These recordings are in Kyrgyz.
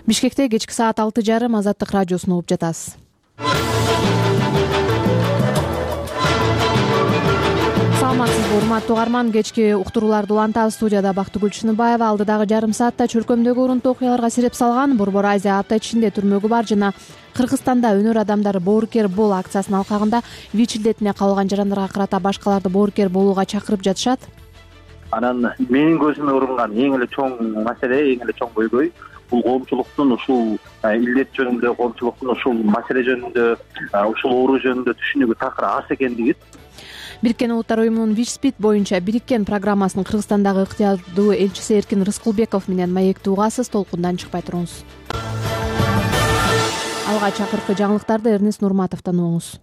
Бишкекте кечки саат 6:30 Азаттык радиосун угуп жатасыз. Саламатсызбы, урматтуу угарман. Кечки уктурууларды улантабыз. Студияда Бактыгүл Чыныбаева. Алдыдагы жарым саатта чөлкөмдөгү урунтуу окуяларга сереп салган Борбор Азия апта ичинде түрмөгү бар жана Кыргызстанда өнөр адамдары боорукер бол акциясынын алкагында ВИЧ илдетине кабылган жарандарга карата башкаларды боорукер болууга чакырып жатышат. Анан менин көзүмө урунган эң эле чоң маселе, эң эле чоң көйгөй бул коомчулуктун ушул илдет жөнүндө, коомчулуктун ушул маселе жөнүндө, ушул оору жөнүндө түшүнүгү такыр аз экендиги. Бириккен Улуттар уюмунун ВИЧ-СПИД боюнча бириккен программасынын Кыргызстандагы ыктыярдуу элчиси Эркин Рыскулбеков менен маекти угасыз. Толкундан чыкпай туруңуз. Алгач акыркы жаңылыктарды Эрнест Нурматовдон угуңуз.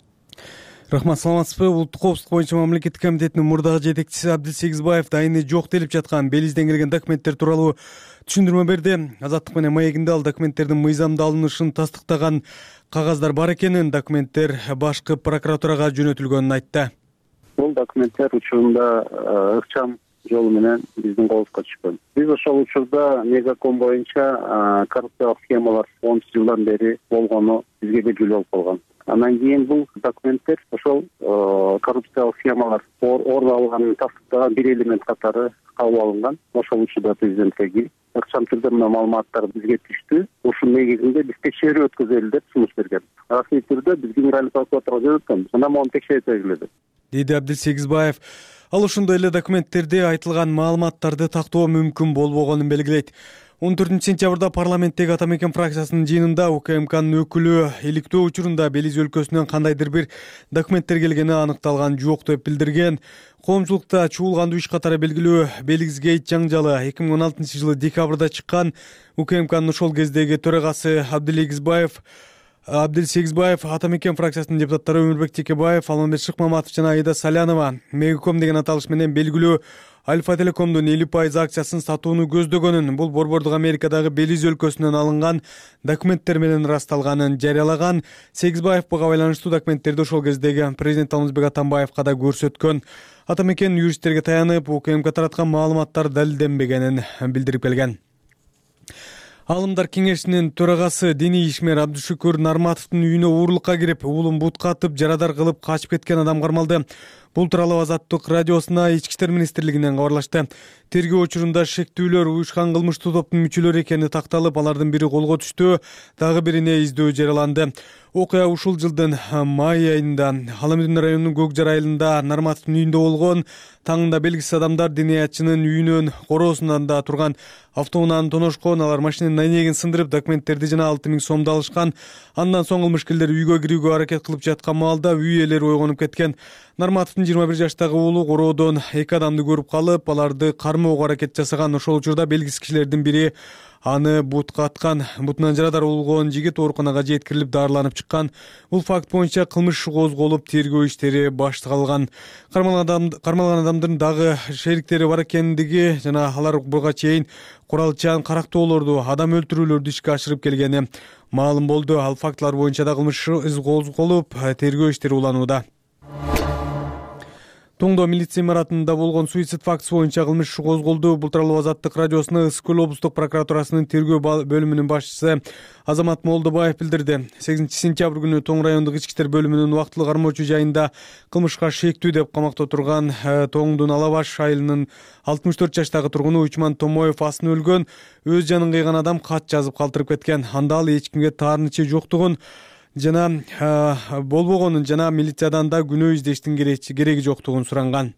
Рахмат, саламатсызбы. Улуттук коопсуздук боюнча мамлекеттик комитетинин мурдагы жетекчиси Абдил Сегизбаев дайыны жок делип жаткан Белизден келген документтер тууралуу түшүндүрмө берди. Азаттык менен маегинде ал документтердин мыйзамда алынышын тастыктаган кагаздар бар экенин, документтер башкы прокуратурага жөнөтүлгөнүн айтты. Бул документтер учурунда ыкчам жолу менен биздин колубузга түшкөн. Биз ошол учурда мегаком боюнча коррупциялык схемалар 10 жылдан бери болгону бизге белгилүү болуп калган. Андан кийин бул документтер ошол коррупциялык схемалар орун алганын тастыктаган бир элемент катары кабыл алынган. Ошол учурда президентке ыкчам түрдө мына маалыматтар бизге түштү. Ушунун негизинде биз текшерүү өткөзөлү деп сунуш берген. Расмий түрдө биз генеральный прокуратурага жөнөткөнбүз. Анан мону текшерип белгиледи, деди Абдил Сегизбаев. Ал ошондой эле документтерде айтылган маалыматтарды тактоо мүмкүн болбогонун белгилейт. 14 сентябрда парламенттеги Ата Мекен фракциясынын жыйынында УКМКнын өкүлү иликтөө учурунда Белиз өлкөсүнөн кандайдыр бир документтер келгени аныкталган жок деп билдирген. Коомчулукта чуулгандуу иш катары белгилүү Белизгейт жаңжалы 2016 жылы декабрда чыккан. УКМКнын ошол кездеги төрагасы Абдил Сегизбаев, Ата Мекен фракциясынын депутаттары Өмүрбек Текебаев, Алмамбет Шыкмаматов жана Айда Салянова Мегаком деген аталыш менен белгилүү Альфа Телекомдун 50% акциясын сатууну көздөгөнүн, бул Борбордук Америкадагы Белиз өлкөсүнөн алынган документтер менен ырасталганын жарыялаган. Сегизбаев буга байланыштуу документтерди ошол кездеги президент Алмазбек Атамбаевка да көрсөткөн. Ата Мекен юристтерге таянып, УКМК тараткан маалыматтар далилденбегенин билдирип келген. Алымдар кеңешинин төрагасы диний ишмер Абдушүкүр Нарматовдун үйүнө уурулукка кирип, уулун бутка атып, жарадар кылып качып кеткен адам кармалды. Бул тууралуу Азаттык радиосуна Ички иштер министрлигинен кабарлашты. Тергөө учурунда шектүүлөр уюшкан кылмыштуу топтун мүчөлөрү экени такталып, алардын бири колго түштү, дагы бирине издөө жарыяланды. Окуя ушул жылдын май айында Аламүдүн районунун Көкжар айылында Нарматовдун үйүндө болгон. Таңында белгисиз адамдар диниятчынын үйүнүн короосунда турган автоунааны тоношкон. Алар машинанын айнегин сындырып, документтерди жана 6000 сомду алышкан. Андан соң кылмышкерлер үйгө кирүүгө аракет кылып жаткан маалда үй ээлери ойгонуп кеткен. Нарматовдун 21 жаштагы уулу короодон 2 адамды көрүп калып, аларды кармоого аракет жасаган. Ошол учурда белгисиз кишилердин бири аны бутка аткан. Бутунан жарадар болгон жигит ооруканага жеткирилип дарыланып чыккан. Бул факт боюнча кылмыш иши козголуп, тергөө иштери башталган. Кармалган адамдын дагы шериктери бар экендиги жана алар буга чейин куралчан карактоолорду, адам өлтүрүүлөрдү ишке ашырып келгени маалым болду. Ал фактылар боюнча да кылмыш иш козголуп, тергөө иштери уланууда. Тоңдо милиция имаратында болгон суицид фактысы боюнча кылмыш иши козголду. Бул тууралуу Азаттык радиосуна Ысык көл облустук прокуратурасынын тергөө бөлүмүнүн башчысы Азамат Молдобаев билдирди. 8 сентябрь күнү Тоң райондук ички иштер бөлүмүнүн убактылуу кармоочу жайында кылмышка шектүү деп камакта турган Тоңдун Алабаш айылынын 64 жаштагы тургуну Учман Томоев асын өлгөн. Өз жанын кыйган адам кат жазып калтырып кеткен. Анда ал эч кимге таарынычы жоктугун жана болбогонун жана милициядан да күнөө издештин кереги жоктугун суранган.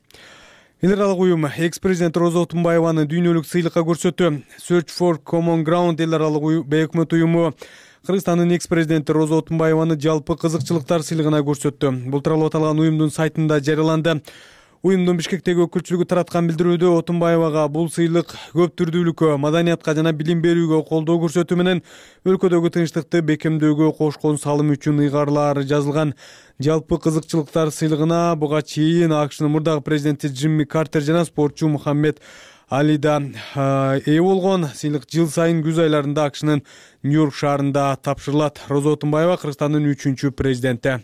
Эл аралык уюм экс-президент Роза Отунбаеваны дүйнөлүк сыйлыкка көрсөттү. Search for Common Ground эл аралык бейөкмөт уюму Кыргызстандын экс-президенти Роза Отунбаеваны жалпы кызыкчылыктар сыйлыгына көрсөттү. Бул тууралуу аталган уюмдун сайтында жарыяланды. Уюмдун Бишкектеги өкүлчүлүгү тараткан билдирүүдө Отунбаевага бул сыйлык көп түрдүүлүккө, маданиятка жана билим берүүгө колдоо көрсөтүү менен өлкөдөгү тынчтыкты бекемдөөгө кошкон салым үчүн ыйгарылаары жазылган. Жалпы кызыкчылыктар сыйлыгына буга чейин АКШнын мурдагы президенти Джимми Картер жана спортчу Мухаммед Али да ээ болгон. Сыйлык жыл сайын күз айларында АКШнын Нью-Йорк шаарында тапшырылат. Роза Отунбаева Кыргызстандын 3-чү президенти.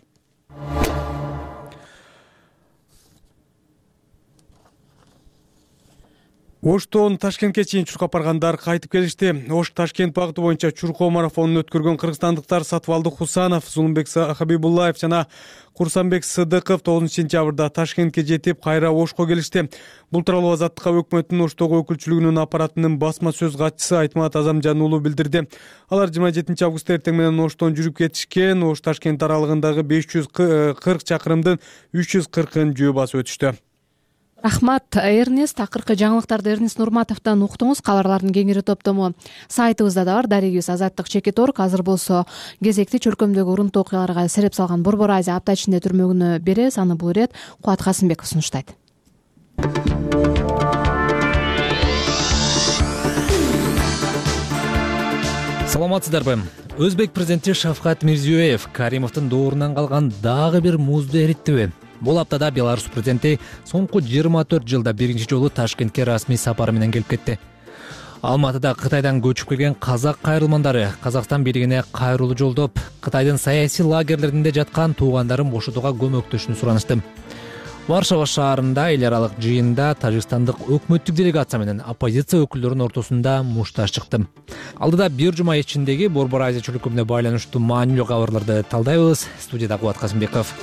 Оштон Ташкентке чейин чуркап баргандар кайтып келишти. Ош Ташкент багыты боюнча чуркоо марафонун өткөргөн кыргызстандыктар Сатыбалды Хусанов, Зулумбек Хабибуллаев жана Курсанбек Сыдыков 9-сентябрда Ташкентке жетип, кайра Ошко келишти. Бул тууралуу Азаттыкка өкмөттүн Оштогу өкүлчүлүгүнүн аппаратынын басма сөз катчысы Айтмат Азамжан уулу билдирди. Алар 27-августта эртең менен Оштон жүрүп кетишкен. Ош Ташкент аралыгындагы 540 чакырымдын 340-ын жөө басып өтүштү. Рахмат, Эрнест. Акыркы жаңылыктарды Эрнест Нурматовдон уктуңуз. Кабарлардын кеңири топтому сайтыбызда да бар. Дарегибиз Азаттык.org. Азыр болсо кезекти чөлкөмдөгү урунтуу окуяларга сереп салган Борбор Азия апта ичинде түрмөгүнө беребиз. Аны бул ирет Кубат Касымбеков сунуштайт. Саламатсыздарбы? Өзбек президенти Шавкат Мирзиёев Каримовдун доорунан калган дагы бир музду эриттиби? Бул аптада Беларусь президенти соңку 24 жылда биринчи жолу Ташкентке расмий сапары менен келип кетти. Алматыда Кытайдан көчүп келген казак кайрылмандары Казакстан бийлигине кайрылуу жолдоп, Кытайдын саясий лагерлеринде жаткан туугандарын бошотууга көмөктөшүүнү суранышты. Варшава шаарында эл аралык жыйында тажикстандык өкмөттүк делегация менен оппозиция өкүлдөрүнүн ортосунда мушташ чыкты. Алдыда бир жума ичиндеги Борбор Азия чөлкөмүнө байланыштуу маанилүү кабарларды талдайбыз. Студияда Кубат Касымбеков.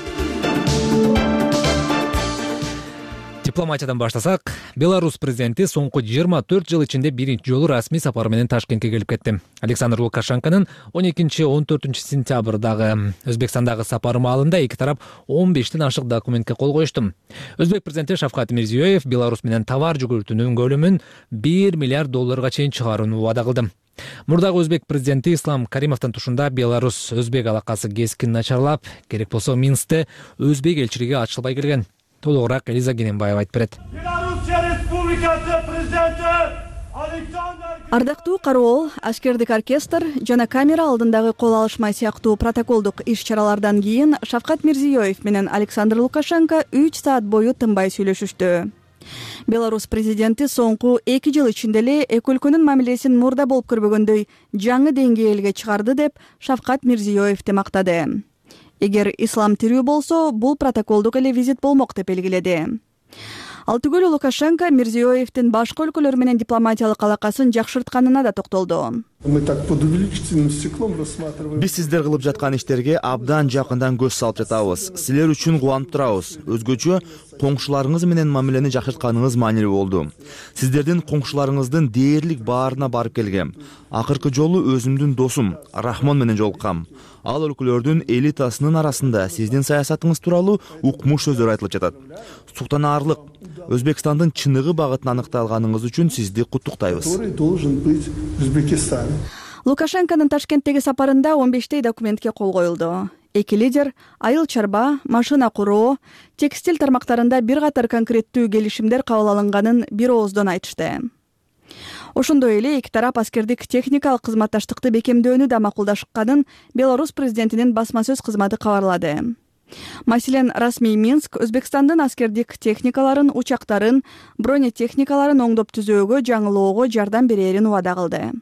Дипломатиядан баштасак, Беларусь президенти соңку 24 жыл ичинде биринчи жолу расмий сапар менен Ташкентке келип кетти. Александр Лукашенконун 12-14 сентябрдагы Өзбекстандагы сапары маалында эки тарап 15тен ашык документке кол коюшту. Өзбек президенти Шавкат Мирзиёев Беларусь менен товар жүгүртүүнүн көлөмүн $1 миллиард чейин чыгарууну убада кылды. Мурдагы өзбек президенти Ислам Каримовдун тушунда Беларусь-Өзбек алакасы кескин начарлап, керек болсо Минскте өзбек элчилиги ачылбай келген. Толугураак Элиза Гененбаева айтып берет. Ардактуу кароол, аскердик оркестр жана камера алдындагы кол алышма сыяктуу протоколдук иш-чаралардан кийин Шавкат Мирзиёев менен Александр Лукашенко 3 саат бою тынбай сүйлөшүштү. Беларусь президенти соңку 2 жыл ичинде эле эки өлкөнүн мамилесин мурда болуп көрбөгөндөй жаңы деңгээлге чыгарды деп Шавкат Мирзиёевди мактады. Эгер ислам тирүү болсо, бул протоколдук эле визит болмок деп белгиледи. Ал түгүл Лукашенко Мирзиёевдин башка өлкөлөр менен дипломатиялык алакасын жакшыртканына да токтолду. Биз сиздер кылып жаткан иштерге абдан жакындан көз салып жатабыз. Силер үчүн кубанып турабыз. Өзгөчө коңшуларыңыз менен мамилени жакшыртканыңыз маанилүү болду. Сиздердин коңшуларыңыздын дээрлик баарына барып келгем. Акыркы жолу өзүмдүн досум Рахмон менен жолуккам. Ал өлкөлөрдүн элитасынын арасында сиздин саясатыңыз тууралуу укмуш сөздөр айтылып жатат. Суктанаарлык. Өзбекстандын чыныгы багытын аныктай алганыңыз үчүн сизди куттуктайбыз. Лукашенконун Ташкенттеги сапарында 15 документке кол коюлду. Эки лидер айыл чарба, машина куроо, текстиль тармактарында бир катар конкреттүү келишимдер кабыл алынганын бир ооздон айтышты. Ошондой эле эки тарап аскердик техникалык кызматташтыкты бекемдөөнү да макулдашканын Беларусь президентинин басма сөз кызматы кабарлады. Маселен, расмий Минск Өзбекстандын аскердик техникаларын, учактарын, бронетехникаларын оңдоп түзөөгө, жаңылоого жардам берерин убада кылды.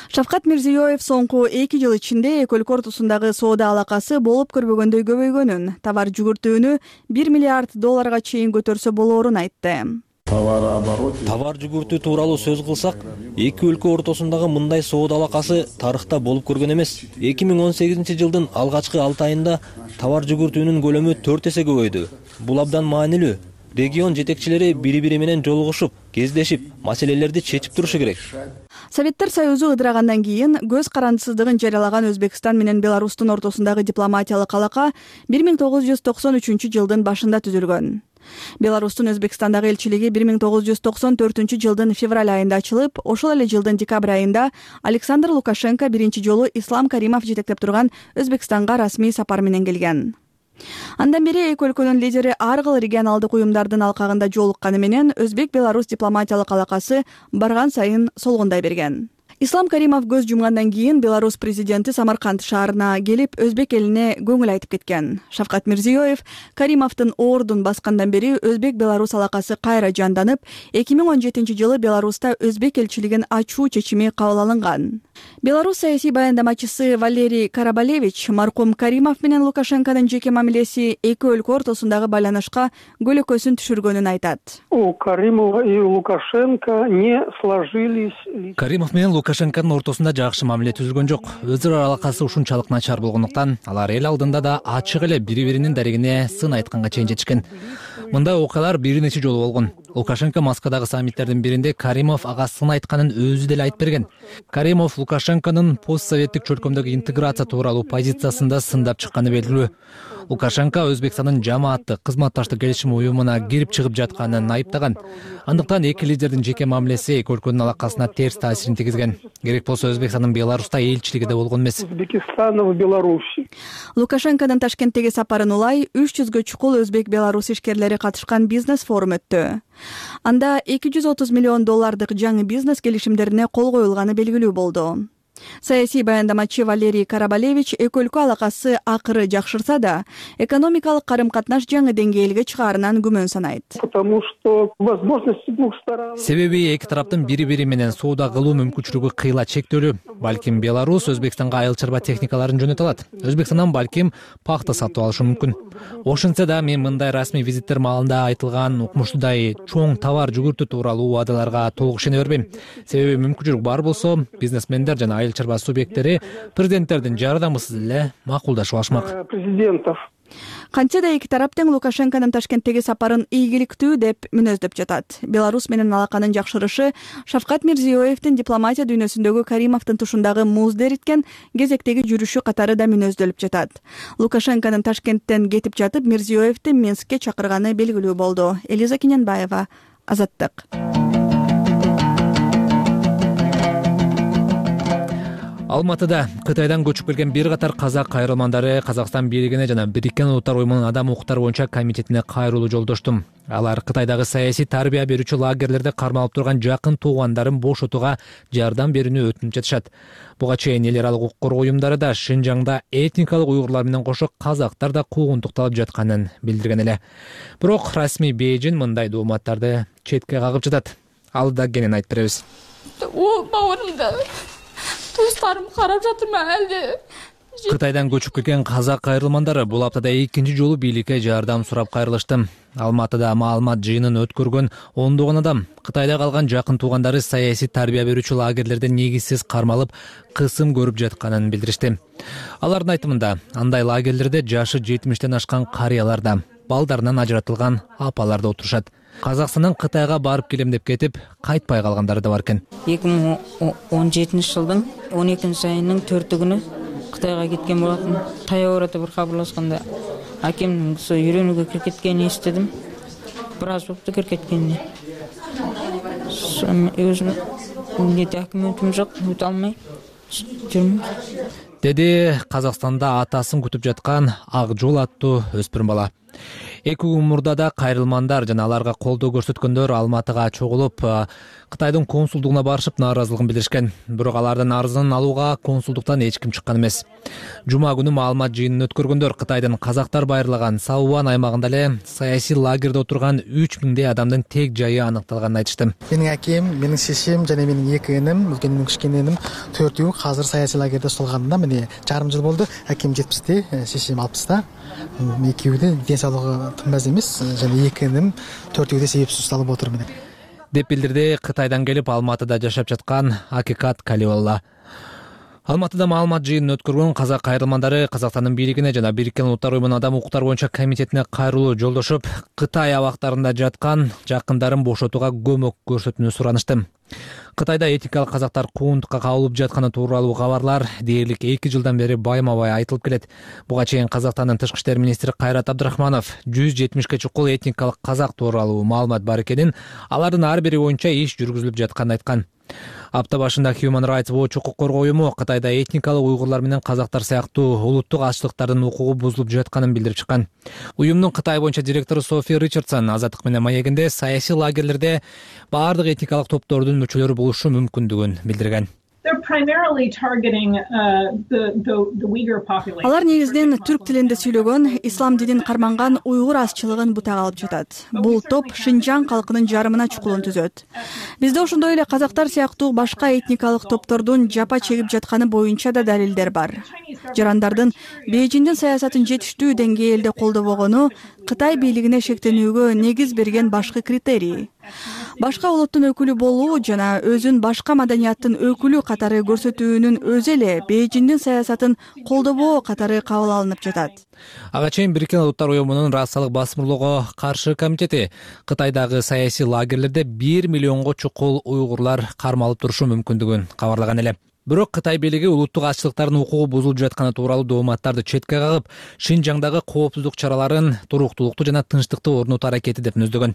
Шавкат Мирзиёев соңку 2 жыл ичинде эки өлкө ортосундагы соода алакасы болуп көрбөгөндөй көбөйгөнүн, товар жүгүртүүнү $1 миллиард чейин көтөрсө болоорун айтты. Товар жүгүртүү тууралуу сөз кылсак, эки өлкө ортосундагы мындай соода алакасы тарыхта болуп көргөн эмес. 2018 жылдын алгачкы 6 айында товар жүгүртүүнүн көлөмү 4 эсе көбөйдү. Бул абдан маанилүү. Регион жетекчилери бири-бири менен жолугушуп, кездешип, маселелерди чечип турушу керек. Советтер Союзу ыдырагандан кийин көз карандысыздыгын жарыялаган Өзбекстан менен Беларустун ортосундагы дипломатиялык алака 1993 жылдын башында түзүлгөн. Беларустун Өзбекстандагы элчилиги 1994 жылдын февраль айында ачылып, ошол эле жылдын декабрь айында Александр Лукашенко биринчи жолу Ислам Каримов жетектеп турган Өзбекстанга расмий сапар менен келген. Андан бери эки өлкөнүн лидери ар кыл регионалдык уюмдардын алкагында жолукканы менен Өзбек-Беларусь дипломатиялык алакасы барган сайын солгундай берген. Ислам Каримов көз жумгандан кийин Беларусь президенти Самарканд шаарына келип, өзбек элине көңүл айтып кеткен. Шавкат Мирзиёев Каримовдун оордун баскандан бери Өзбек-Беларусь алакасы кайра жанданып, 2017-жылы Беларуста өзбек элчилигин ачуу чечими кабыл алынган. Беларусь саясий баяндамачысы Валерий Карабалевич маркум Каримов менен Лукашенконун жеке мамилеси эки өлкө ортосундагы байланышка көлөкөсүн түшүргөнүн айтат. У Каримова и Лукашенко не сложились. Каримов менен Лукашенконун ортосунда жакшы мамиле түзүлгөн жок. Өз ара алакасы ушунчалык начар болгондуктан алар эл алдында да ачык эле бири-биринин дарегине сын айтканга чейин жетишкен. Мындай окуялар бир нече жолу болгон. Лукашенко Москвадагы саммиттердин биринде Каримов ага сын айтканын өзү деле айтып берген. Каримов Лукашенконун постсоветтик чөлкөмдөгү интеграция тууралуу позициясында сындап чыкканы белгилүү. Лукашенко Өзбекстандын жамааттык кызматташтык келишим уюмуна кирип чыгып жатканын айыптаган. Андыктан эки лидердин жеке мамилеси эки өлкөнүн алакасына терс таасирин тийгизген. Керек болсо Өзбекстандын Беларуста элчилиги да болгон эмес. Узбекистана в Беларуси. Лукашенконун Ташкенттеги сапарын улай 300гө чукул Өзбек-Беларусь ишкерлери катышкан бизнес форум өттү. Анда $230 миллион жаңы бизнес келишимдерине кол коюлганы белгилүү болду. Саясий баяндамачы Валерий Карабалевич эки өлкө алакасы акыры жакшырса да, экономикалык карым-катнаш жаңы деңгээлге чыгаарынан күмөн санайт. Потому что возможности двух сторон. Себеби эки тараптын бири-бири менен соода кылуу мүмкүнчүлүгү кыйла чектөлүү. Балким Беларусь Өзбекстанга айыл чарба техникаларын жөнөтө алат. Өзбекстандан балким пахта сатып алышы мүмкүн. Ошентсе да мен мындай расмий визиттер маалында айтылган укмуштуудай чоң товар жүгүртүү тууралуу убадаларга толук ишене бербейм. Себеби мүмкүнчүлүк бар болсо, бизнесмендер жана айыл чарба субъекттери президенттердин жардамысыз эле макулдашып алышмак. Президентов. Кантсе да эки тарап тең Лукашенконун Ташкенттеги сапарын ийгиликтүү деп мүнөздөп жатат. Беларусь менен алаканын жакшырышы Шавкат Мирзиёевдин дипломатия дүйнөсүндөгү Каримовдун тушундагы музду эриткен кезектеги жүрүшү катары да мүнөздөлүп жатат. Лукашенконун Ташкенттен кетип жатып, Мирзиёевди Минскке чакырганы белгилүү болду. Элиза Киненбаева, Азаттык. Алматыда Кытайдан көчүп келген бир катар казак кайрылмандары Казакстан бийлигине жана Бириккен Улуттар уюмунун адам укуктары боюнча комитетине кайрылуу жолдошту. Алар Кытайдагы саясий тарбия берүүчү лагерлерде кармалып турган жакын туугандарын бошотууга жардам берүүнү өтүнүп жатышат. Буга чейин эл аралык укук коргоо уюмдары да Шинжаңда этникалык уйгурлар менен кошо казактар да куугунтукталып жатканын билдирген эле. Бирок расмий Бейжин мындай дооматтарды четке кагып жатат. Ал да кенен айтып беребиз. Туыстарым карап жатырмы әлде? Кытайдан көчүп келген казак кайрылмандары бул аптада экинчи жолу бийликке жардам сурап кайрылышты. Алматыда маалымат жыйынын өткөргөн ондогон адам Кытайда калган жакын туугандары саясий тарбия берүүчү лагерлерде негизсиз кармалып, кысым көрүп жатканын билдиришти. Алардын айтымында, андай лагерлерде жашы 70тен ашкан карыялар да, балдарынан ажыратылган апалар да отурушат. Казакстандан Кытайга барып келем деп кетип, кайтпай калгандары да бар экен. 2017-жылдын 12-айынын 4-күнү Кытайга кеткен болотмун. Таяк арада бир кабарлашканда акемдин үйрөнүүгө кирип кеткенин эстедим. Бир аз болупту кирип кеткенине. Өзүм документим жок, өтө алмай жүрмүн. Деди Казакстанда атасын күтүп жаткан Ак жол аттуу өспүрүм бала. 2 күн мурда да кайрылмандар жана аларга колдоо көрсөткөндөр Алматыга чогулуп, Кытайдын консулдугуна барышып нааразылыгын билдиришкен. Бирок алардын арызын алууга консулдуктан эч ким чыккан эмес. Жума күнү маалымат жыйынын өткөргөндөр Кытайдын казактар байырлаган Сауван аймагында эле саясий лагерде отурган 3000 адамдын тек жайы аныкталганын айтышты. Менин акем, менин шешем жана менин 2 иним, үлкөнүм, кичкенем 4-өө азыр саясий лагерде столганында міне жарым жыл болду. Акем 70-те, шешем 60-та. Экөөдө ден соолугу тынбас эмес, жана 2 иним 4-өөдө себепсиз салып отур менен. Деп билдирди Кытайдан келип Алматыда жашап жаткан Акикат Калиолла. Алматыда маалымат жыйынын өткөргөн казак кайрылмандары Казакстандын бийлигине жана Бириккен Улуттар уюмунун адам укуктары боюнча комитетине кайрылуу жолдошуп, Кытай абактарында жаткан жакындарын бошотууга көмөк көрсөтүүнү суранышты. Кытайда этникалык казактар куугунтукка кабылып жатканы тууралуу кабарлар дээрлик 2 жылдан бери байма-бай айтылып келет. Буга чейин Казакстандын тышкы иштер министри Кайрат Абдрахманов 170ке чукул этникалык казак тууралуу маалымат бар экенин, алардын ар бири боюнча иш жүргүзүлүп жатканын айткан. Апта башында Human Rights Watch укук коргоо уюму Кытайда этникалык уйгурлар менен казактар сыяктуу улуттук азчылыктардын укугу бузулуп жатканын билдирип чыккан. Уюмдун Кытай боюнча директору Софи Ричардсон Азаттык менен маегинде саясий лагерлерде баардык этникалык топтордун мүчөлөрү болушу мүмкүндүгүн билдирген. Алар негизинен түрк тилинде сүйлөгөн, ислам динин карманган уйгур азчылыгын бутак алып жатат. Бул топ Шинжаң калкынын жарымына чукулун түзөт. Бизде ошондой эле казактар сыяктуу башка этникалык топтордун жапа чегип жатканы боюнча да далилдер бар. Жарандардын Бейжиңдин саясатын жетиштүү деңгээлде колдобогону Кытай бийлигине шектенүүгө негиз берген башкы критерий. Башка улуттун өкүлү болуу жана өзүн башка маданияттын өкүлү катары көрсөтүүнүн өзү эле Бейжиңдин саясатын колдобоо катары кабыл алынып жатат. Ага чейин Бириккен Улуттар Уюмунун расалык басымдуулоого каршы комитети Кытайдагы саясий лагерлерде 1 миллионго чукул уйгурлар кармалып турушу мүмкүндүгүн кабарлаган эле. Бирок Кытай бийлиги улуттук азчылыктардын укугу бузулуп жатканы тууралуу дооматтарды четке кагып, Шинжаңдагы коопсуздук чараларын туруктуулукту жана тынчтыкты орнотуу аракети деп мүздөгөн.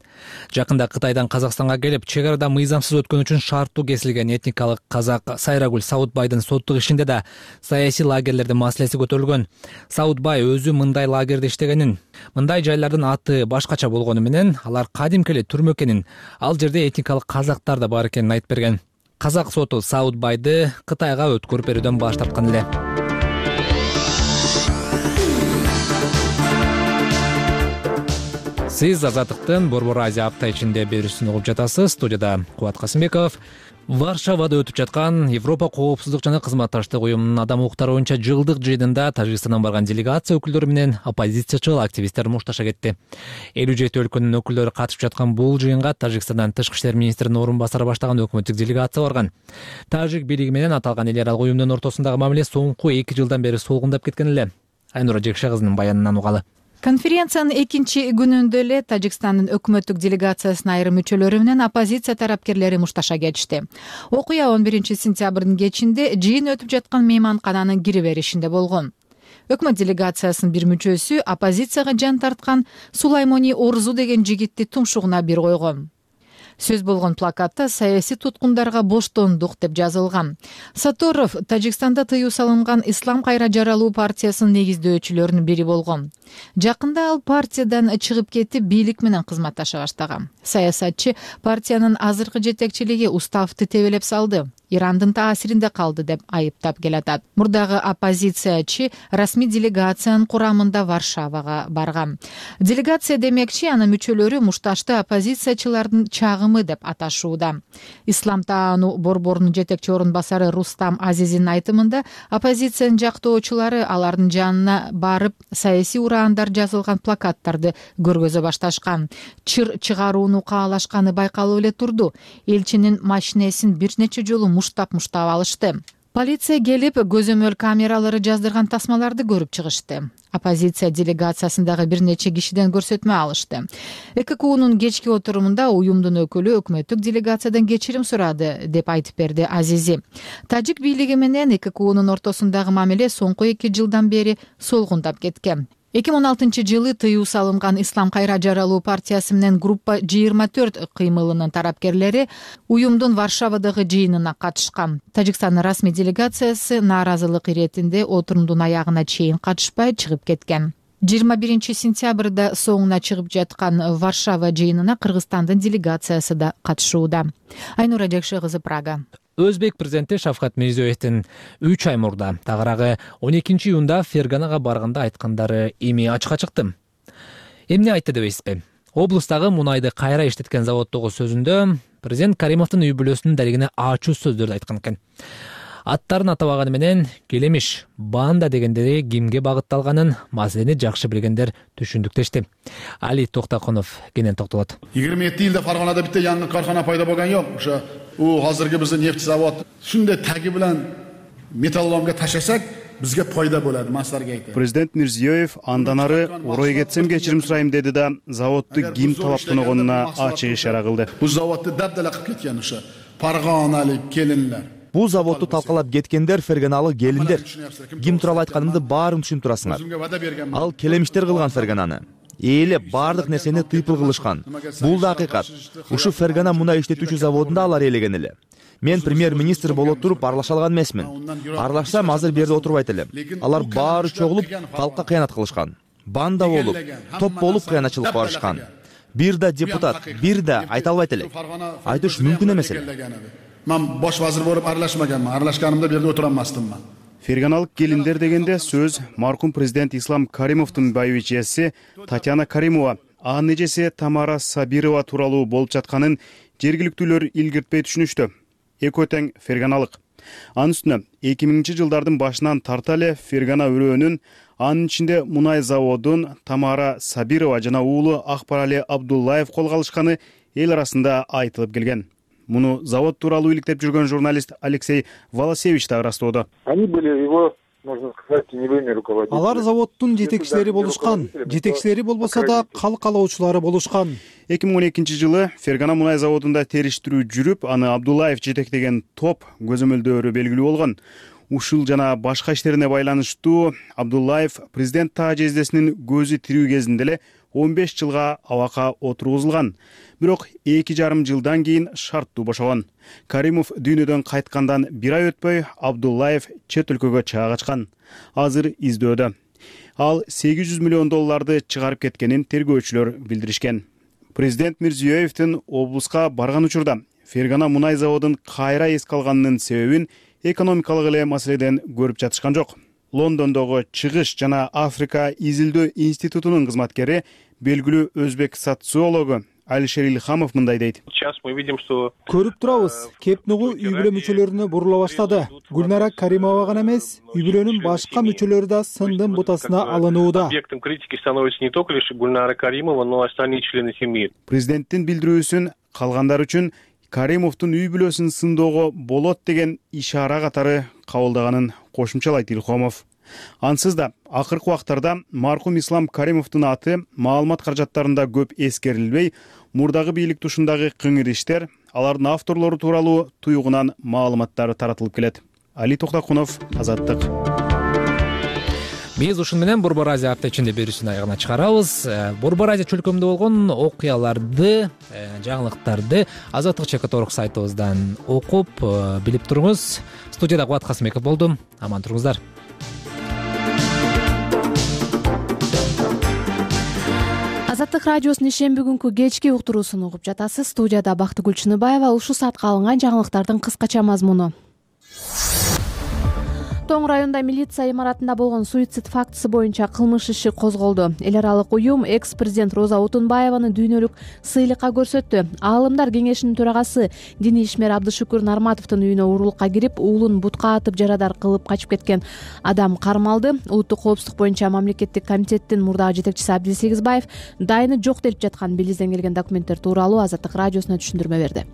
Жакында Кытайдан Казакстанга келип, чек арада мыйзамсыз өткөн үчүн шарттуу кесилген этникалык казак Сайрагүл Саудбайдын соттук ишинде да саясий лагерлердин маселеси көтөрүлгөн. Саудбай өзү мындай лагерде иштегенин, мындай жайлардын аты башкача болгону менен алар кадимки эле түрмө экенин, ал жерде этникалык казактар да бар экенин айтып берген. Казак соту Саудбайды Кытайга өткөрүп берүүдөн баш тарткан эле. Сиз Азаттыктын Борбор Азия апта ичинде берүүсүн угуп жатасыз. Студияда Кубат Касымбеков. Варшавада өтүп жаткан Европа коопсуздук жана кызматташтык уюмунун адам укуктары боюнча жылдык жыйынында Тажикстандан барган делегация өкүлдөрү менен оппозициячыл активисттер мушташа кетти. 57 өлкөнүн өкүлдөрү катышып жаткан бул жыйынга Тажикстандан тышкы иштер министринин орун басары баштаган өкмөттүк делегация барган. Тажик бийлиги менен аталган эл аралык уюмдун ортосундагы мамиле соңку 2 жылдан бери солгундап кеткен эле. Айнура Жекше кызынын баянынан угалы. Конференциянын экинчи күнүндө эле Тажикстандын өкмөттүк делегациясынын айрым мүчөлөрү менен оппозиция тарапкерлери мушташа кетишти. Окуя 11 сентябрдын кечинде жыйын өтүп жаткан мейманкананын кире беришинде болгон. Өкмөт делегациясынын бир мүчөсү оппозицияга жан тарткан Сулаймони Орзу деген жигитти тумшугуна бир койгон. Сөз болгон плакатта саясий туткундарга боштондук деп жазылган. Саторов Тажикстанда тыюу салынган Ислам кайра жаралуу партиясынын негиздөөчүлөрүнүн бири болгон. Жакында ал партиядан чыгып кетип, бийлик менен кызматташа баштаган. Саясатчы партиянын азыркы жетекчилиги уставды тебелеп салды, Ирандын таасиринде калды деп айыптап келатат. Мурдагы оппозициячы расмий делегациянын курамында Варшавага барган. Делегация демекчи, анын мүчөлөрү мушташты оппозициячылардын чагымы деп аташууда. Ислам таануу борборунун жетекчи орун басары Рустам Азизинин айтымында, оппозициянын жактоочулары алардын жанына барып, саясий ураандар жазылган плакаттарды көргөзө башташкан. Чыр чыгарууну каалашканы байкалып эле турду. Элчинин машинесин бир нече жолу муштап алышты. Полиция келип, көзөмөл камералары жаздырган тасмаларды көрүп чыгышты. Оппозиция делегациясындагы бир нече кишиден көрсөтмө алышты. ЭККУнун кечки отурумунда уюмдун өкүлү өкмөттүк делегациядан кечирим сурады деп айтып берди Азизи. Тажик бийлиги менен ЭККУнун ортосундагы мамиле соңку 2 жылдан бери солгундап кеткен. 2016 жылы тыюу салынган Ислам кайра жаралуу партиясы менен группа 24 кыймылынын тарапкерлери уюмдун Варшавадагы жыйынына катышкан. Тажикстандын расмий делегациясы нааразылык иретинде отурумдун аягына чейин катышпай чыгып кеткен. 21 сентябрда соңуна чыгып жаткан Варшава жыйынына Кыргызстандын делегациясы да катышууда. Айнура Жекше кызы, Прага. Өзбек президенти Шавкат Мирзиёевдин 3 ай мурда, тагыраагы 12 июнда Ферганага барганда айткандары эми ачыкка чыкты. Эмне айтты дебейсизби? Облустагы мунайды кайра иштеткен заводдогу сөзүндө президент Каримовдун үй бүлөсүнүн далигине ачуу сөздөрдү айткан экен. Аттарын атабаганы менен келемиш, банда дегендери кимге багытталганын маселени жакшы билгендер түшүндүктешти. Али Токтакунов кенен токтолот. 27 жылда Фарганада битте жаңы кархана пайда болгон жок. Ошо азыркы биздин нефть завод ушундай таги менен металлоломго таштасак, бизге пайда болот, масларга айтты. Президент Мирзиёев андан ары орой кетсем кечирим сурайм деди да, заводду ким талап тоногонуна ачык ишара кылды. Бул заводду дабдала кылып кеткен ошо парганалык келиндер. Бул заводду талкалап кеткендер Ферганалы келиндер. Ким тууралуу айтканымды баарын түшүнүп турасыңар. Ал келемиштер кылган Фергананы. Эле бардык нерсени тыйпыл кылышкан. Бул да акыйкат. Ушу Фергана мунай иштетүүчү заводунда алар ээлеген эле. Мен премьер-министр боло туруп аралаша алган эмесмин. Аралашсам азыр берде отурбайт элем. Алар баары чогулуп калкка кыянат кылышкан. Банда болуп, топ болуп кыянатчылыкка барышкан. Бир да депутат, бир да айта албайт элек. Айтыш мүмкүн эмес эле. Мен bosh vazir bo'lib aralashmaganman. Aralashganimda bu yerda o'tira olmasdimman. Ферганалык келиндер дегенде сөз маркум президент Ислам Каримовдун байбичеси Татьяна Каримова, анын эжеси Тамара Сабирова тууралуу болуп жатканын жергиликтүүлөр илгиртпей түшүнүштү. Экөө тең ферганалык. Анын үстүнө 2000-жылдардын башынан тарта эле Фергана өрөөнүн, анын ичинде мунай заводун Тамара Сабирова жана уулу Акбарали Абдуллаев колго алышканы эл арасында айтылып келген. Муну завод тууралуу иликтеп жүргөн журналист Алексей Волосевич да ырастоодо. Они были его, можно сказать, теневыми руководителями. Алар заводдун жетекчилери болушкан. Жетекчилери болбосо да калкалоочулары болушкан. 2012-жылы Фергана мунай заводунда териштирүү жүрүп, аны Абдуллаев жетектеген топ көзөмөлдөрү белгилүү болгон. Ушул жана башка иштерине байланыштуу Абдуллаев президент таажездесинин көзү тирүү кезинде эле 15 жылга абакка отургузулган. Бирок 2,5 жылдан кийин шарттуу бошогон. Каримов дүйнөдөн кайткандан 1 ай өтпөй Абдуллаев чет өлкөгө чыга качкан. Азыр издөөдө. Ал $800 миллион чыгарып кеткенин тергөөчүлөр билдиришкен. Президент Мирзиёевдин облуска барган учурда Фергана мунай заводун кайра эске алганынын себебин экономикалык эле маселеден көрүп жатышкан жок. Лондондогу Чыгыш жана Африка изилдөө институтунун кызматкери, белгилүү өзбек социологу Алишер Илхамов мындай дейт. Көрүп турабыз, кеп нугу үй бүлө мүчөлөрүнө бурула баштады. Гүлнара Каримова гана эмес, үй бүлөнүн башка мүчөлөрү да сындын бутасына алынууда. Объектом критики становится не только лишь Гульнара Каримова, но и остальные члены семьи. Президенттин билдирүүсүн калгандар үчүн Каримовдун үй бүлөсүн сындоого болот деген ишара катары кабылдаганын кошумчалайт Илхомов. Ансыз да акыркы убактарда маркум Ислам Каримовдун аты маалымат каражаттарында көп эскерилбей, мурдагы бийлик тушундагы кыңыр иштер, алардын авторлору тууралуу туйгунан маалыматтар таратылып келет. Али Токтакунов, Азаттык. Биз ушун менен Борбор Азия апта ичинде берүүсүн аягына чыгарабыз. Борбор Азия чөлкөмүндө болгон окуяларды, жаңылыктарды Азаттык ЧК сайтыбыздан окуп, билип туруңуз. Студияда Кубат Касымбеков болдум. Аман туруңуздар. Азаттык радиосунун ишемби күнкү кечки уктуруусун угуп жатасыз. Студияда Бактыгүл Чыныбаева. Ушул саатка алынган жаңылыктардын кыскача мазмуну. Тоң районунда милиция имаратында болгон суицид фактысы боюнча кылмыш иши козголду. Эл аралык уюм экс-президент Роза Отунбаеваны дүйнөлүк сыйлыкка көрсөттү. Аалымдар кеңешинин төрагасы диний ишмер Абдышүкүр Нарматовдун үйүнө урурлукка кирип, уулун бутка атып жарадар кылып качып кеткен адам кармалды. Улуттук коопсуздук боюнча мамлекеттик комитеттин мурдагы жетекчиси Абдиз Сегизбаев дайыны жок делип жаткан Белизден келген документтер тууралуу Азаттык радиосуна түшүндүрмө берди.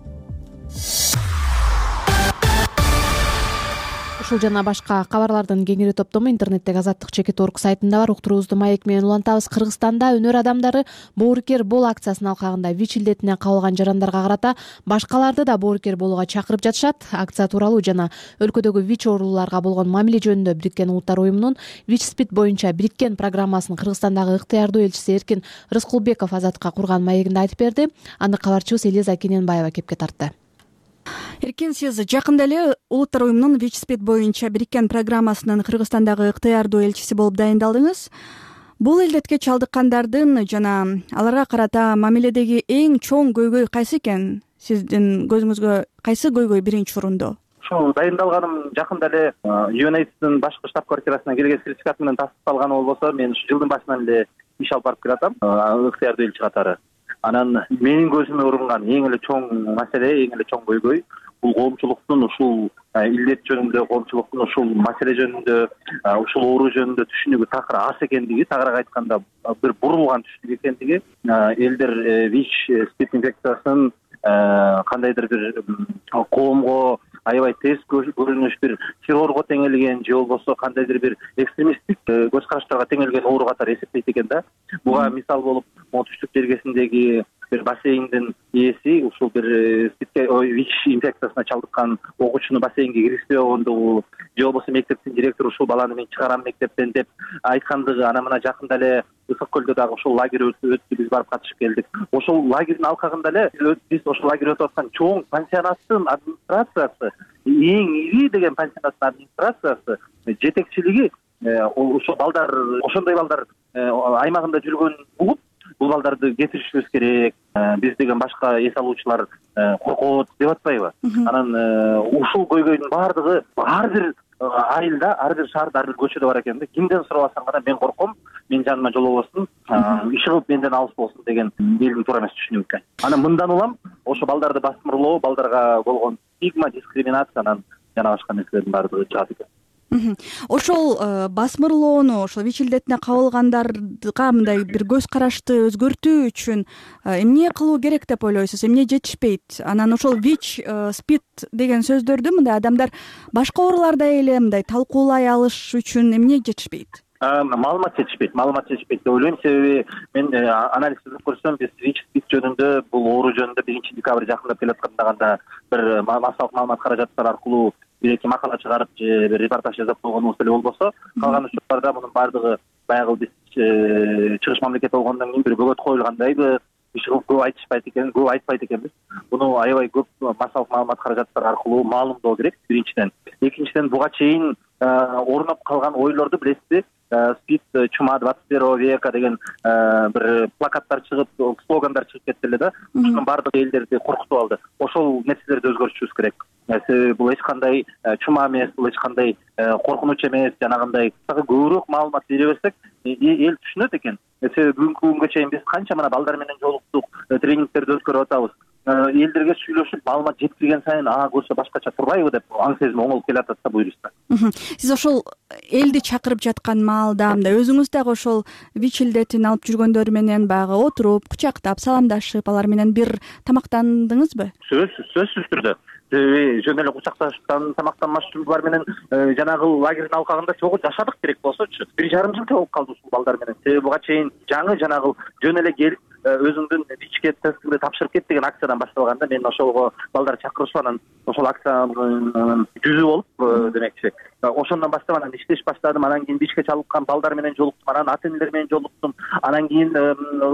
Ушул жана башка кабарлардын кеңири топтому интернеттеги Азаттык ЧК сайтында бар. Уктуруубузду маек менен улантабыз. Кыргызстанда өнөр адамдары боорукер бол акциясынын алкагында ВИЧ илдетине кабылган жарандарга карата башкаларды да боорукер болууга чакырып жатышат. Акция тууралуу жана өлкөдөгү ВИЧ оорулууларга болгон мамиле жөнүндө Бириккен Улуттар уюмунун ВИЧ-СПИД боюнча бириккен программасынын Кыргызстандагы ыктыярдуу элчиси Эркин Рыскулбеков Азаттыкка курган маегинде айтып берди. Аны кабарчыбыз Элиза Кененбаева кепке тартты. Эркин, сиз жакында эле Улуттар уюмунун ВИЧ-СПИД боюнча бириккен программасынын Кыргызстандагы ыктыярдуу элчиси болуп дайындалдыңыз. Бул илдетке чалдыккандардын жана аларга карата мамиледеги эң чоң көйгөй кайсы экен? Сиздин көзүңүзгө кайсы көйгөй биринчи орунда? Ушул дайындалганым жакында эле UNAIDS'дин башкы штаб-квартирасына келген сертификат менен тастыкталганы болбосо, мен ушу жылдын башынан эле иш алып барып келатам, ыктыярдуу элчи катары. Анан менин көзүмө урунган эң эле чоң маселе, эң эле чоң көйгөй бул коомчулуктун ушул илдет жөнүндө, коомчулуктун ушул маселе жөнүндө, ушул оору жөнүндө түшүнүгү такыр аз экендиги, тагыраак айтканда бир бурулган түшүнүк экендиги, элдер ВИЧ-СПИД инфекциясын кандайдыр бир коомго аябай тез көрүнүш бир террорго теңелген же болбосо кандайдыр бир экстремисттик көз караштарга теңелген оору катары эсептейт экен да. Буга мисал болуп, Түштүк жергесиндеги бир бассейндин ээси ушул бир ВИЧ инфекциясына чалдыккан окуучуну бассейнге киргизбей койгондугу, же болбосо мектептин директору ушул баланы мен чыгарам мектептен деп айткандыгы. Анан мына жакында эле Ысык көлдө дагы ушул лагерь өттү, биз барып катышып келдик. Ошол лагердин алкагында эле биз ошол лагерь өтүп аткан чоң пансионаттын администрациясы, эң ири деген пансионаттын администрациясы жетекчилиги ошол балдар, ошондой балдар аймагында жүргөнүн угуп, бул балдарды кетиришибиз керек, биз деген башка эс алуучулар коркот деп атпайбы? Анан ушул көйгөйдүн баардыгы ар бир айылда, ар бир шаарда, ар бир көчөдө бар экен да. Кимден сурабасаң гана мен корком, мен жаныма жолобосун, иши кылып менден алыс болсун деген элдин туура эмес түшүнүгү. Анан мындан улам ошо балдарды басмырлоо, балдарга болгон стигма, дискриминациянан жана башка нерселердин баардыгы чыгат экен. Ошол басмырлоону ошол ВИЧ илдетине кабылгандарга мындай бир көз карашты өзгөртүү үчүн эмне кылуу керек деп ойлойсуз? Эмне жетишпейт? Анан ошол ВИЧ, СПИД деген сөздөрдү мындай адамдар башка ооруларда эле мындай талкуулай алыш үчүн эмне жетишпейт? Маалымат жетишпейт деп ойлойм. Себеби мен анализ түзүп көрсөм, биз ВИЧ, СПИД жөнүндө, бул оору жөнүндө 1-декабрь жакындап келаткандаганда бир массалык маалымат каражаттары аркылуу бир-эки макала чыгарып же бир репортаж жазып койгонубуз эле болбосо, калган учурларда мунун баардыгы баягы биз чыгыш мамлекет болгондон кийин бир бөгөт коюлгандайбы, иши кылып көп айтпайт экенбиз. Буну аябай көп массалык маалымат каражаттары аркылуу маалымдоо керек, биринчиден. Экинчиден, буга чейин орноп калган ойлорду билесизби? СПИД чума 21 века деген бир плакаттар чыгып, слогандар чыгып кетти эле да. Ушунун баардыгы элдерди коркутуп алды. Ошол нерселерди өзгөртүшүбүз керек. Себеби бул эч кандай чума эмес, бул эч кандай коркунуч эмес, жанагындай көбүрөөк маалымат бере берсек, эл түшүнөт экен. Себеби бүгүнкү күнгө чейин биз канча мына балдар менен жолуктук, тренингтерди өткөрүп атабыз. Элдерге сүйлөшүп, маалымат жеткирген сайын көрсө башкача турбайбы деп аң сезим оңолуп келатат да бул юриста. Сиз ошол элди чакырып жаткан маалда мындай өзүңүз дагы ошол ВИЧ илдетин алып жүргөндөр менен баягы отуруп, кучактап, саламдашып, алар менен бир тамактандыңызбы? Сөзсүз түрдө. Себеби жөн эле кучакташып тамактанмашчылар менен жанагы лагердин алкагында чогуу жашадык керек болсочу. 1,5 жыл болуп калды ушул балдар менен. Себеби буга чейин жаңы жанагы жөн эле келип өзүңдүн ВИЧке тестиңди тапшырып кет деген акциядан башталганда мен ошого балдар чакырышып анан ошол акциянын жүзү болуп демекчи. Ошондон баштап анан иштеш баштадым. Анан кийин ВИЧке чалдыккан балдар менен жолуктум, анан ата энелер менен жолуктум. Анан кийин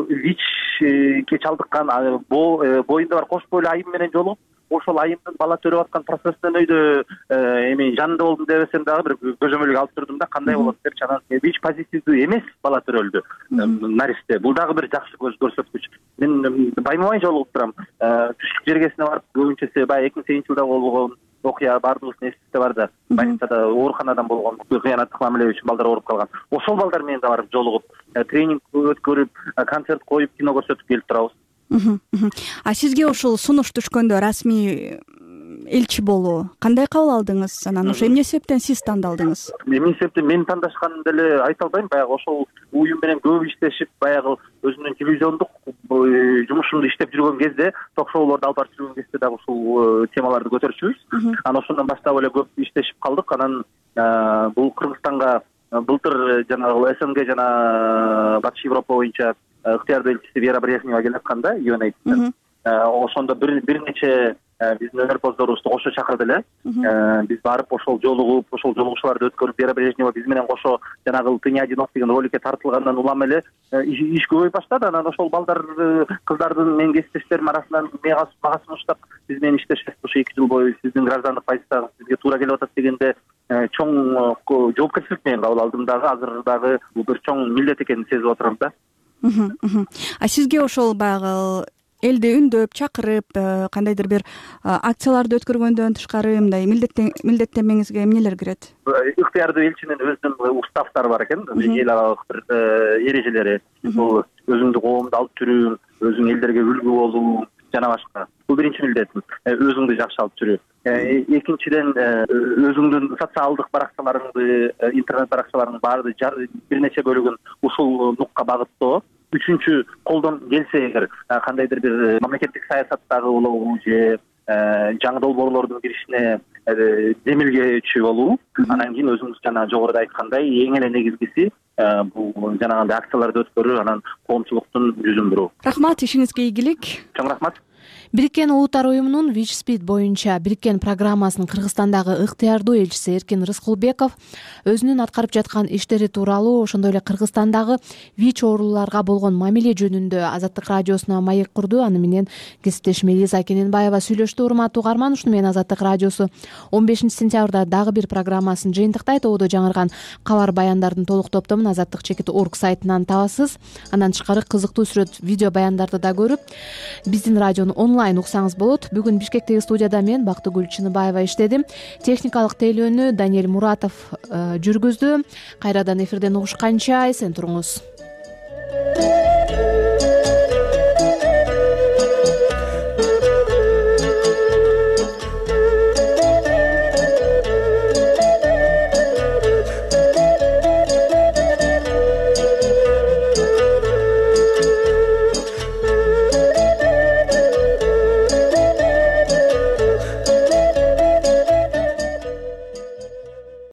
ВИЧке чалдыккан боюнда бар кош бойлуу айым менен жолугуп, ошол айымдын бала төрөп аткан процесстен өйдө эми жанында болдум дебесем дагы бир көзөмөлгө алып турдум да, кандай болот депчи. Анан ВИЧ позитивдүү эмес бала төрөлдү, наристе. Бул дагы бир жакшы көрсөткүч. Мен байма-бай жолугуп турам. Түштүк жергесине барып көбүнчөсү баягы 2008 жылда болгон окуя баардыгыбыздын эсибизде бар да. Больницада ооруканадан болгон кыянаттык мамиле үчүн балдар ооруп калган. Ошол балдар менен да барып жолугуп, тренинг өткөрүп, концерт коюп, кино көрсөтүп келип турабыз. А сизге ушул сунуш түшкөндө расмий элчи болуу кандай кабыл алдыңыз? Анан ошо эмне себептен сиз тандалдыңыз? Эмне себептен мен тандашканымды эле айта албайм. Баягы ошол уюм менен көп иштешип, баягы өзүнүн телевизиондук жумушумду иштеп жүргөн кезде, ток-шоулорду алып барып жүргөн кезде дагы ушул темаларды көтөрчүбүз. Анан ошондон баштап эле көп иштешип калдык. Анан бул Кыргызстанга былтыр жанагы СНГ жана Батыш Европа боюнча ыктыярдуу элчиси Вера Брежнева келатканда, UNAIDS'тен ошондо бир нече биздин өнөрпоздорубузду кошо чакырды эле. Биз барып ошол жолугуп, ошол жолугушууларды өткөрүп, Вера Брежнева биз менен кошо жанагы «Ты не одинок» деген роликке тартылгандан улам эле иш көбөйүп баштады. Анан ошол балдар, кыздардын менин кесиптештерим арасынан мага сунуштап, биз менен иштешет, ошо 2 жыл бою сиздин граждандык позицияңыз бизге туура келип атат дегенде чоң жоопкерчилик менен кабыл алдым дагы. Азыр дагы бул бир чоң милдет экенин сезип отурам да. А сизге ошол баягы элди үндөп, чакырып, кандайдыр бир акцияларды өткөргөндөн тышкары мындай милдеттенмеңизге эмнелер кирет? Ыктыярдуу элчинин өзүнүн уставтары бар экен, эл аралык бир эрежелери. Бул өзүңдү коомдо алып жүрүү, өзүң элдерге үлгү болуу жана башка. Бул биринчи милдетим, өзүңдү жакшы алып жүрүү. Экинчиден, өзүңдүн социалдык баракчаларыңды, интернет баракчаларыңдын баары бир нече бөлүгүн ушул нукка багыттоо. Үчүнчү, колдон келсе эгер кандайдыр бир мамлекеттик саясаттагы болобу же жаңы долбоорлордун киришине демилгечи болуу. Анан кийин өзүңүз жана жогоруда айткандай эң эле негизгиси бул жанагындай акцияларды өткөрүү, анан коомчулуктун жүзүн буруу. Рахмат, ишиңизге ийгилик. Чоң рахмат. Бириккен Улуттар уюмунун ВИЧ СПИД боюнча бириккен программасынын Кыргызстандагы ыктыярдуу элчиси Эркин Рыскулбеков өзүнүн аткарып жаткан иштери тууралуу, ошондой эле Кыргызстандагы ВИЧ оорулууларга болгон мамиле жөнүндө Азаттык радиосуна маек курду. Аны менен кесиптешим Элиза Кененбаева сүйлөштү. Урматтуу угарман, ушуну менен Азаттык радиосу 15-сентябрда дагы бир программасын жыйынтыктайт. Ободо жаңырган кабар баяндардын толук топтомун azattik.org сайтынан табасыз. Андан тышкары кызыктуу сүрөт, видео баяндарды да көрүп, биздин радиону онлайн уксаңыз болот. Бүгүн Бишкектеги студияда мен Бактыгүл Чыныбаева иштедим. Техникалык тейлөөнү Даниэль Муратов жүргүздү. Кайрадан эфирден угушканча эсен туруңуз.